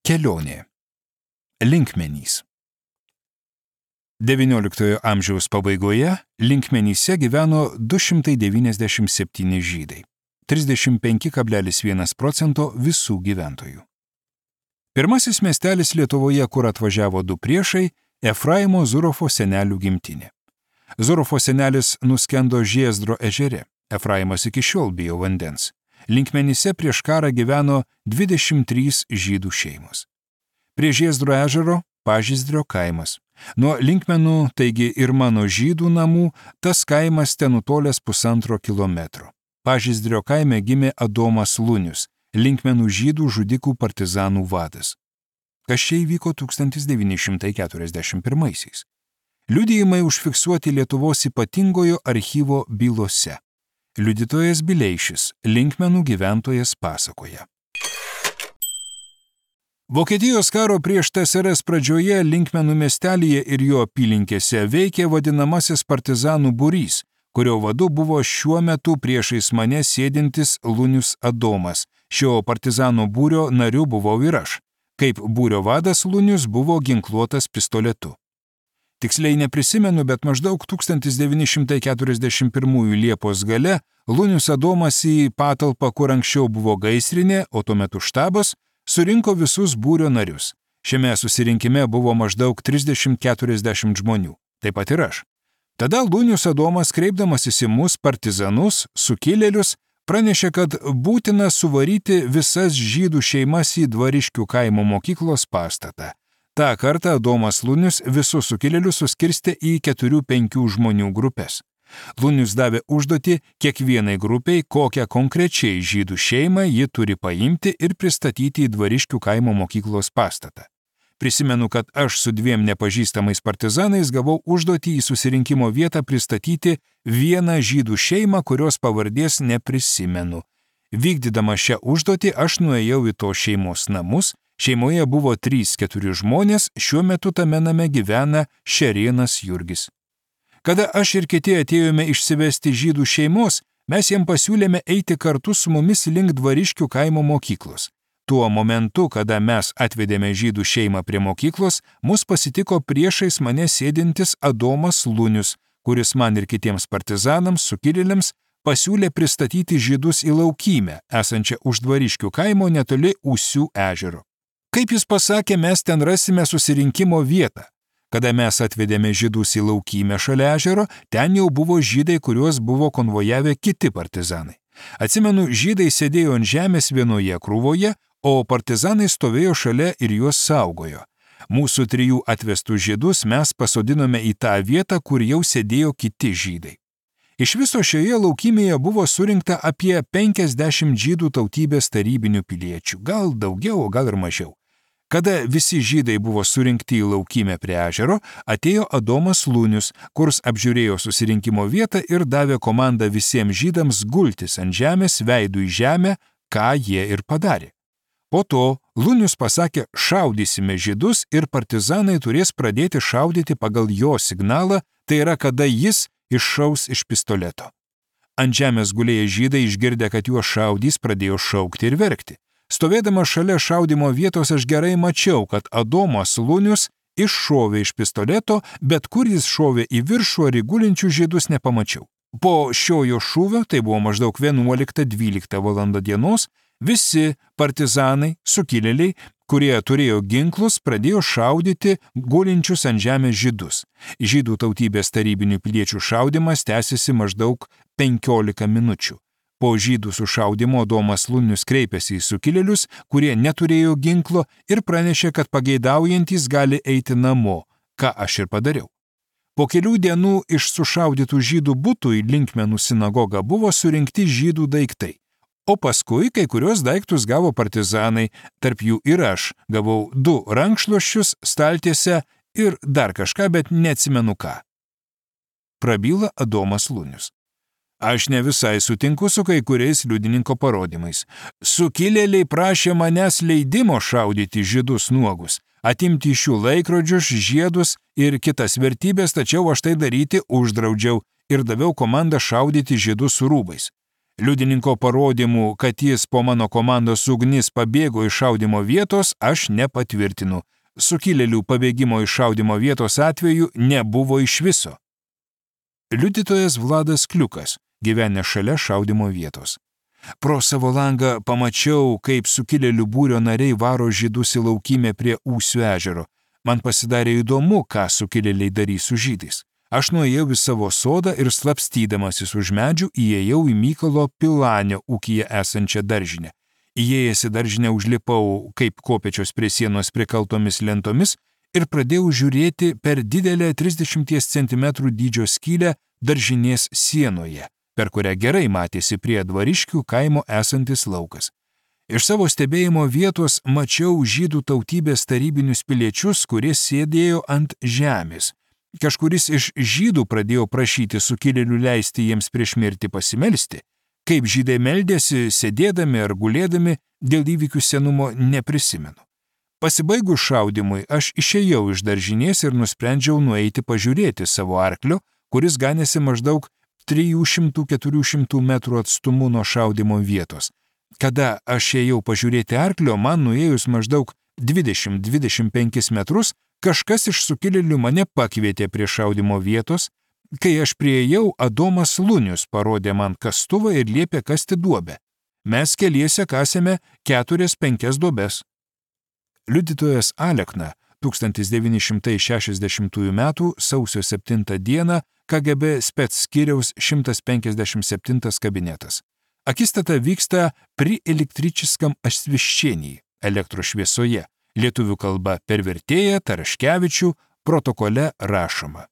Kelionė. Linkmenys. XIX amžiaus pabaigoje Linkmenyse gyveno 297 žydai, 35,1% visų gyventojų. Pirmasis miestelis Lietuvoje, kur atvažiavo du priešai, Efraimo Zurofo senelių gimtinė. Zurofo senelis nuskendo Žiezdro ežere, Efraimas iki šiol bijo vandens. Linkmenyse prieš karą gyveno 23 žydų šeimos. Prie Žiezdro ežero Pažaizdrio kaimas. Nuo Linkmenų, taigi ir mano žydų namų, tas kaimas ten nutolęs 1,5 kilometro. Pažaizdrio kaime gimė Adomas Lunius, Linkmenų žydų žudikų partizanų vadas. Kas čia įvyko 1941-aisiais. Liudijimai užfiksuoti Lietuvos ypatingojo archyvo bylose. Liudytojas Bileišis, Linkmenų gyventojas, pasakoja. Vokietijos karo prieš TSRS pradžioje Linkmenų miestelyje ir jo apylinkėse veikė vadinamasis partizanų būrys, kurio vadu buvo šiuo metu priešais mane sėdintis Lunius Adomas. Šio partizanų būrio nariu buvau ir aš. Kaip būrio vadas Lunius buvo ginkluotas pistoletu. Tiksliai neprisimenu, bet maždaug 1941 Liepos gale Lunius Adomas į patalpą, kur anksčiau buvo gaisrinė, o tuo metu štabas, surinko visus būrio narius. Šiame susirinkime buvo maždaug 30-40 žmonių, taip pat ir aš. Tada Lunius Adomas, kreipdamasis į mus partizanus, sukilėlius, pranešė, kad būtina suvaryti visas žydų šeimas į Dvariškių kaimo mokyklos pastatą. Ta kartą Adomas Lunius visus sukilėlius suskirstė į 4-5 žmonių grupės. Lunius davė užduotį kiekvienai grupiai, kokią konkrečiai žydų šeimą ji turi paimti ir pristatyti į Dvariškių kaimo mokyklos pastatą. Prisimenu, kad aš su 2 nepažįstamais partizanais gavau užduotį į susirinkimo vietą pristatyti vieną žydų šeimą, kurios pavardės neprisimenu. Vykdydama šią užduotį aš nuėjau į to šeimos namus. Šeimoje buvo 3-4 žmonės, šiuo metu tame name gyvena Šerėnas Jurgis. Kada aš ir kiti atėjome išsivesti žydų šeimos, mes jiem pasiūlėme eiti kartu su mumis link Dvariškių kaimo mokyklos. Tuo momentu, kada mes atvedėme žydų šeimą prie mokyklos, mus pasitiko priešais mane sėdintis Adomas Lunius, kuris man ir kitiems partizanams, sukilėliams, pasiūlė pristatyti žydus į laukymę, esančią už Dvariškių kaimo netoli Ūsių ežero. Kaip jis pasakė, mes ten rasime susirinkimo vietą. Kada mes atvedėme žydus į laukymę šalia ežero, ten jau buvo žydai, kuriuos buvo konvojavę kiti partizanai. Atsimenu, žydai sėdėjo ant žemės vienoje krūvoje, o partizanai stovėjo šalia ir juos saugojo. Mūsų 3 atvestų žydus mes pasodinome į tą vietą, kur jau sėdėjo kiti žydai. Iš viso šioje laukymėje buvo surinkta apie 50 žydų tautybės tarybinių piliečių, gal daugiau, o gal ir mažiau. Kada visi žydai buvo surinkti į laukymę prie ežero, atėjo Adomas Lunius, kurs apžiūrėjo susirinkimo vietą ir davė komandą visiems žydams gultis ant žemės veidu į žemę, ką jie ir padarė. Po to Lunius pasakė, šaudysime žydus ir partizanai turės pradėti šaudyti pagal jo signalą, tai yra, kada jis iššaus iš pistoleto. Ant žemės gulėję žydai, išgirdę, kad juos šaudys, pradėjo šaukti ir verkti. Stovėdama šalia šaudimo vietos aš gerai mačiau, kad Adomas Lunius iššovė iš pistoleto, bet kur jis šovė į viršų ar į gulinčių žydus nepamačiau. Po šiojo šūvio, tai buvo maždaug 11-12 valanda dienos, visi partizanai, sukilėliai, kurie turėjo ginklus, pradėjo šaudyti gulinčius ant žemės žydus. Žydų tautybės tarybinių piliečių šaudimas tęsiasi maždaug 15 minučių. Po žydų sušaudimo Adomas Lunius kreipėsi į sukilėlius, kurie neturėjo ginklo ir pranešė, kad pageidaujantys gali eiti namo, ką aš ir padariau. Po kelių dienų iš sušaudytų žydų butų į Linkmenų sinagogą buvo surinkti žydų daiktai. O paskui kai kurios daiktus gavo partizanai, tarp jų ir aš gavau 2 rankšluosčius, staltiesę ir dar kažką, bet neatsimenu ką. Prabyla Adomas Lunius. Aš ne visai sutinku su kai kuriais liudininko parodymais. Sukilėliai prašė manęs leidimo šaudyti žydus nuogus, atimti iš jų laikrodžius, žiedus ir kitas vertybės, tačiau aš tai daryti uždraudžiau ir daviau komandą šaudyti žydus su rūbais. Liudininko parodymų, kad jis po mano komandos ugnis pabėgo iš šaudymo vietos, aš nepatvirtinu. Sukilėlių pabėgimo iš šaudymo vietos atveju nebuvo iš viso. Liudytojas Vladas Kliukas, gyvenęs šalia šaudymo vietos. Pro savo langą pamačiau, kaip sukilėlių būrio nariai varo žydus į laukymę prie Ūsių ežero. Man pasidarė įdomu, ką sukilėliai darys su žydais. Aš nuėjau į savo sodą ir slapstydamasis už medžių įėjau į Mykolo Pilanio ūkyje esančią daržinę. Įėjęs į daržinę užlipau kaip kopėčios prie sienos prikaltomis lentomis ir pradėjau žiūrėti per didelę 30 cm dydžio skylę daržinės sienoje, per kurią gerai matėsi prie Dvariškių kaimo esantis laukas. Iš savo stebėjimo vietos mačiau žydų tautybės tarybinius piliečius, kurie sėdėjo ant žemės. Kažkuris iš žydų pradėjo prašyti sukilėlių leisti jiems prieš mirtį pasimelsti. Kaip žydai meldėsi, sėdėdami ar gulėdami, dėl įvykių senumo neprisimenu. Pasibaigus šaudymui, aš išėjau iš daržinės ir nusprendžiau nueiti pažiūrėti savo arklio, kuris ganėsi maždaug 300–400 metrų atstumu nuo šaudymo vietos. Kada aš ėjau pažiūrėti arklio, man nuėjus maždaug 20–25 metrus, kažkas iš sukilėlių mane pakvietė prie šaudymo vietos. Kai aš priėjau, Adomas Lunius parodė man kastuvą ir liepė kasti duobę. Mes keliese kasėme 4–5 duobes. Liudytojas Alekna 1960 m. sausio 7 d. KGB spec skyriaus 157 kabinetas. Akistata vyksta pri električiskam освещении, elektros šviesoje. Lietuvių kalba per vertėją Taraškevičių, protokole rašoma.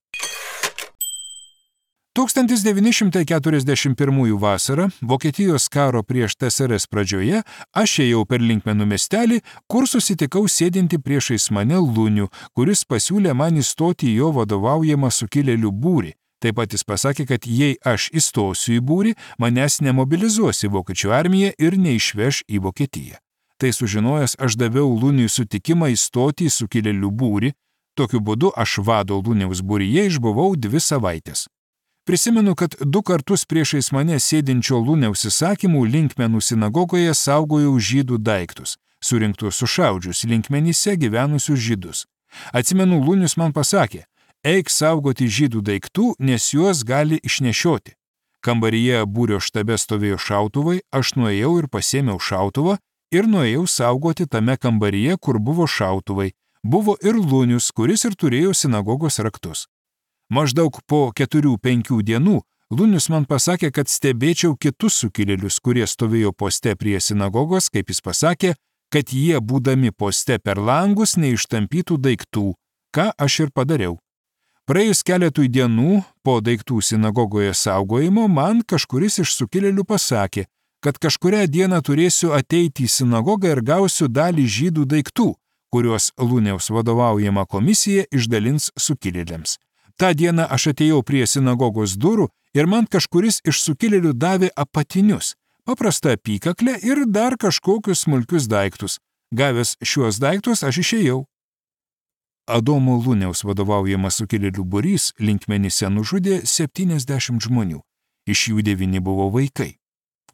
1941 vasarą, Vokietijos karo prieš TSRS pradžioje, aš ėjau per Linkmenų miestelį, kur susitikau sėdinti priešais mane Lunių, kuris pasiūlė man įstoti į jo vadovaujamą sukilėlių būrį. Taip pat jis pasakė, kad jei aš įstosiu į būrį, manęs nemobilizuos į vokiečių armiją ir neišveš į Vokietiją. Tai sužinojęs, aš daviau Luniui sutikimą įstoti į sukilėlių būrį. Tokiu būdu aš vado Luniaus būryje išbuvau 2 savaitės. Prisimenu, kad 2 kartus priešais mane sėdinčio Luniaus įsakymų Linkmenų sinagogoje saugojau žydų daiktus, surinktus sušaudžius Linkmenyse gyvenusius žydus. Atsimenu, Lunius man pasakė, eik saugoti žydų daiktų, nes juos gali išnešioti. Kambaryje būrio štabe stovėjo šautuvai, aš nuėjau ir pasėmiau šautuvą, ir nuėjau saugoti tame kambaryje, kur buvo šautuvai. Buvo ir Lunius, kuris ir turėjo sinagogos raktus. Maždaug po 4–5 dienų Lunius man pasakė, kad stebėčiau kitus sukilėlius, kurie stovėjo poste prie sinagogos, kaip jis pasakė, kad jie, būdami poste per langus, neištampytų daiktų, ką aš ir padariau. Praėjus keletui dienų po daiktų sinagogoje saugojimo, man kažkuris iš sukilėlių pasakė, kad kažkurią dieną turėsiu ateiti į sinagogą ir gausiu dalį žydų daiktų, kuriuos Luniaus vadovaujama komisija išdalins sukilėliams. Ta diena aš atėjau prie sinagogos durų ir man kažkuris iš sukilėlių davė apatinius, paprastą apykaklę ir dar kažkokius smulkius daiktus. Gavęs šiuos daiktus aš išėjau. Adomo Luniaus vadovaujamas sukilėlių būrys Linkmenyse nužudė 70 žmonių, iš jų 9 buvo vaikai.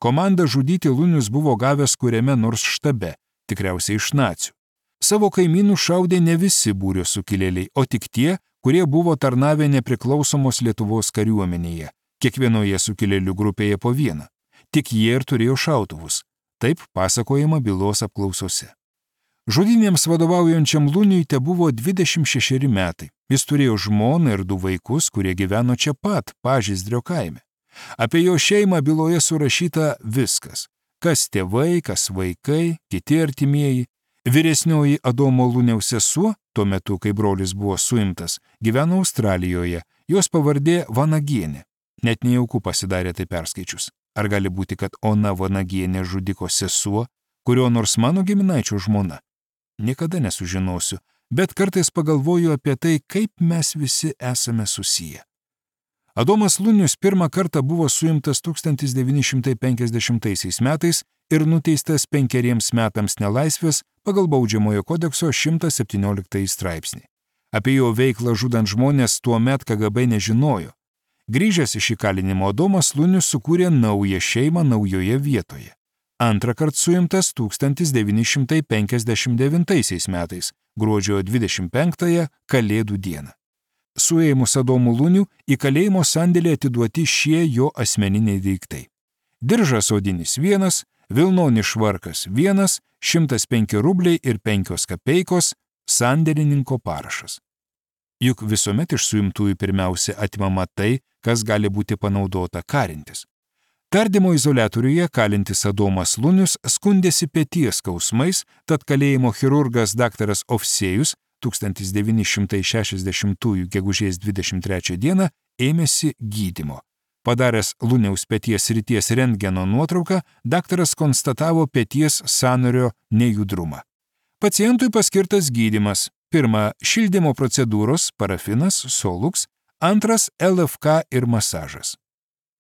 Komandą žudyti Lunius buvo gavęs kuriame nors štabe, tikriausiai iš nacių. Savo kaimynų šaudė ne visi būrio sukilėliai, o tik tie, kurie buvo tarnavę nepriklausomos Lietuvos kariuomenėje, kiekvienoje sukilėlių grupėje po vieną. Tik jie ir turėjo šautuvus. Taip pasakojama bylos apklausose. Žudynėms vadovaujančiam Luniui tebuvo 26 metai. Jis turėjo žmoną ir 2 vaikus, kurie gyveno čia pat, Pažaizdrio kaime. Apie jo šeimą byloje surašyta viskas. Kas tėvai, kas vaikai, kiti artimieji. Vyresnioji Adomo Luniaus sesuo, tuo metu, kai brolis buvo suimtas, gyveno Australijoje, jos pavardė Vanagienė. Net nejauku pasidarė tai perskaičius. Ar gali būti, kad Ona Vanagienė žudiko sesuo, kurio nors mano giminaičio žmona? Niekada nesužinosiu, bet kartais pagalvoju apie tai, kaip mes visi esame susiję. Adomas Lunius pirmą kartą buvo suimtas 1950 metais ir nuteistas 5 metams nelaisvės pagal Baudžiamojo kodekso 117 straipsnį. Apie jo veiklą žudant žmonės tuomet KGB nežinojo. Grįžęs iš įkalinimo Adomas Lunius sukūrė naują šeimą naujoje vietoje. Antrą kartą suimtas 1959 metais, gruodžio 25-ąją Kalėdų dieną. Suėmus Adomų Lunių į kalėjimo sandėlį atiduoti šie jo asmeniniai daiktai. Diržas odinis 1, vilnonis švarkas 1, 105 rubliai ir 5 kapeikos, sandėlininko parašas. Juk visuomet iš suimtųjų pirmiausia atimama tai, kas gali būti panaudota karintis. Tardymo izoliatoriuje kalintis Adomas Lunius skundėsi peties skausmais, tad kalėjimo chirurgas dr. Ovsėjus 1960 gegužės 23 dieną ėmėsi gydymo. Padaręs Luniaus peties srities rentgeno nuotrauką, daktaras konstatavo peties sąnario nejudrumą. Pacientui paskirtas gydymas. 1. Šildymo procedūros, parafinas, Solux. 2. LFK ir masažas.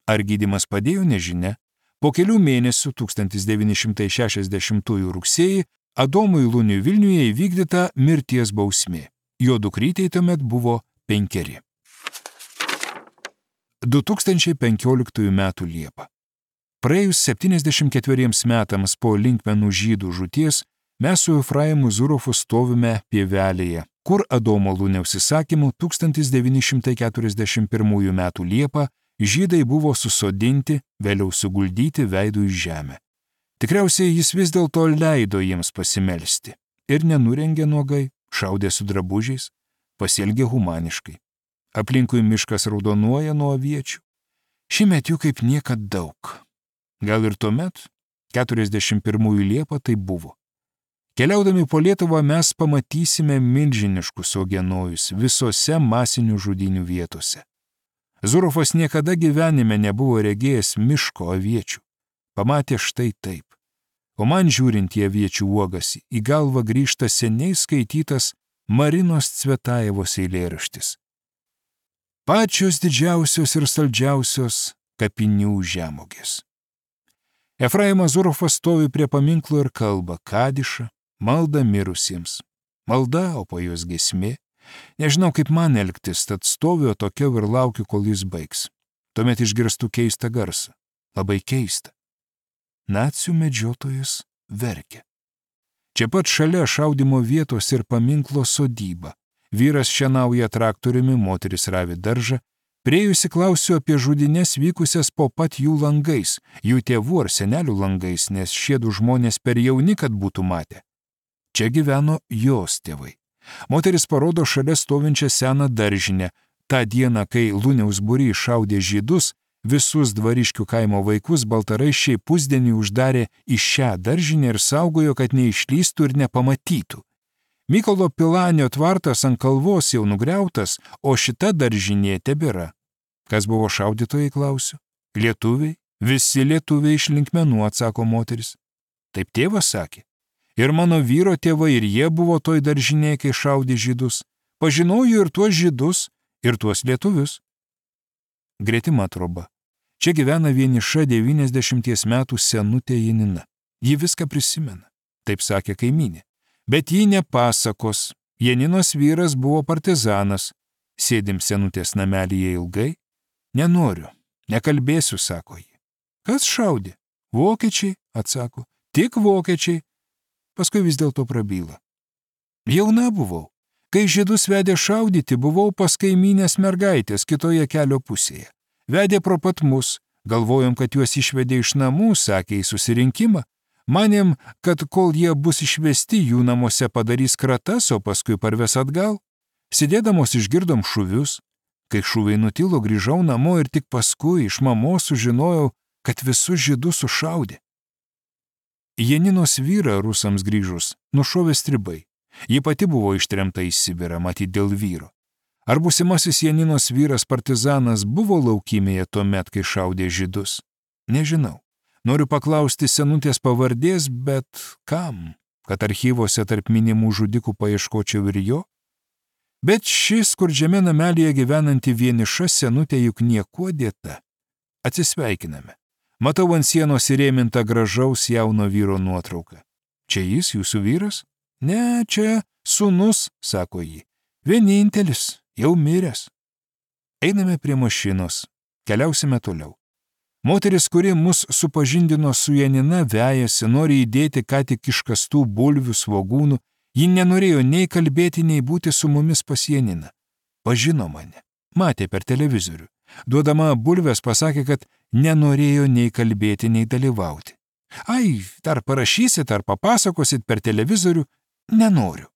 Ar gydymas padėjo, nežinia. Po kelių mėnesių 1960 rugsėjį Adomui Luniui Vilniuje įvykdyta mirties bausmė. Jo dukrytei tuomet buvo 5. 2015 m. Liepą. Praėjus 74 metams po linkmenų žydų žūties, mes su Efraimu Zurofu stovime pievelėje, kur Adomo Luniaus įsakymu 1941 m. Liepą žydai buvo susodinti, vėliau suguldyti veidų į žemę. Tikriausiai jis vis dėlto leido jiems pasimelsti ir nenurengė nuogai, šaudė su drabužiais, pasielgė humaniškai. Aplinkui miškas raudonuoja nuo aviečių. Šįmet jų kaip niekad daug. Gal ir tuomet, 41 Liepą, tai buvo. Keliaudami po Lietuvą mes pamatysime milžiniškus ogenojus visose masinių žudynių vietose. Zurofas niekada gyvenime nebuvo regėjęs miško aviečių. Pamatė štai taip. O man žiūrint į aviečių uogas, į galvą grįžta seniai skaitytas Marinos Cvetajevos eilėraštis. Pačios didžiausios ir saldžiausios kapinių žemogės. Efraimas Zurofas stovi prie paminklo ir kalba kadišą, maldą mirusiems. Malda, o po jos giesmė. Nežinau, kaip man elgtis, tad stoviu atokiau ir laukiu, kol jis baigs. Tuomet išgirstu keistą garsą. Labai keistą. Nacių medžiotojas verkia. Čia pat šalia šaudimo vietos ir paminklo sodyba. Vyras šienauja traktoriumi, moteris ravi daržą. Priėjusi klausiu apie žudynes vykusias po pat jų langais, jų tėvų ar senelių langais, nes šie du žmonės per jauni, kad būtų matę. Čia gyveno jos tėvai. Moteris parodo šalia stovinčią seną daržinę. Ta diena, kai Luniaus būrys šaudė žydus, visus Dvariškių kaimo vaikus baltaraiščiai pusdienį uždarė į šią daržinę ir saugojo, kad neišlystų ir nepamatytų. Mykolo Pilanio tvartas ant kalvos jau nugriautas, o šita daržinė tebėra. Kas buvo šaudytojai, klausiu? Lietuviai, visi lietuviai iš linkmenų, atsako moteris. Taip tėvas sakė. Ir mano vyro tėvai, ir jie buvo toj daržinėje, kai šaudė žydus. Pažinojo ir tuos žydus, ir tuos lietuvius. Gretima troba. Čia gyvena vieniša 90 metų senutė Janina. Ji viską prisimena, taip sakė kaimynė. Bet ji nepasakos. Janinos vyras buvo partizanas. Sėdim senutės namelyje ilgai. Nenoriu, nekalbėsiu, sako ji. Kas šaudė? Vokiečiai, atsako. Tik vokiečiai. Paskui vis dėlto prabyla. Jauna buvau. Kai žydus vedė šaudyti, buvau pas kaimynės mergaitės kitoje kelio pusėje. Vedė pro pat mus. Galvojom, kad juos išvedė iš namų, sakė į susirinkimą. Manėm, kad kol jie bus išvesti, jų namuose padarys kratas, o paskui parves atgal. Sėdėdamos išgirdom šūvius. Kai šūviai nutilo, grįžau namo ir tik paskui iš mamos sužinojau, kad visus žydus sušaudė. Janinos vyrą rusams grįžus nušovė stribai. Ji pati buvo ištremta į Sibirą, matyt dėl vyro. Ar būsimasis Janinos vyras partizanas buvo laukymėje tuomet, kai šaudė žydus? Nežinau. Noriu paklausti senutės pavardės, bet kam? Kad archyvose tarp minimų žudikų paieškočiau ir jo? Bet šis skurdžiame namelyje gyvenanti vieniša senutė juk niekuo dėta. Atsisveikiname. Matau ant sienos įrėmintą gražaus jauno vyro nuotrauką. Čia jis, jūsų vyras? Ne, čia sūnus, sako ji. Vienintelis, jau miręs. Einame prie mašinos. Keliausime toliau. Moteris, kuri mus supažindino su Janina, vejasi, nori įdėti ką tik iškastų bulvių, svogūnų. Ji nenorėjo nei kalbėti, nei būti su mumis pas Janiną. Pažino mane. Matė per televizorių. Duodama bulves pasakė, kad nenorėjo nei kalbėti, nei dalyvauti. Ai, dar parašysit, ar papasakosit per televizorių? Nenoriu.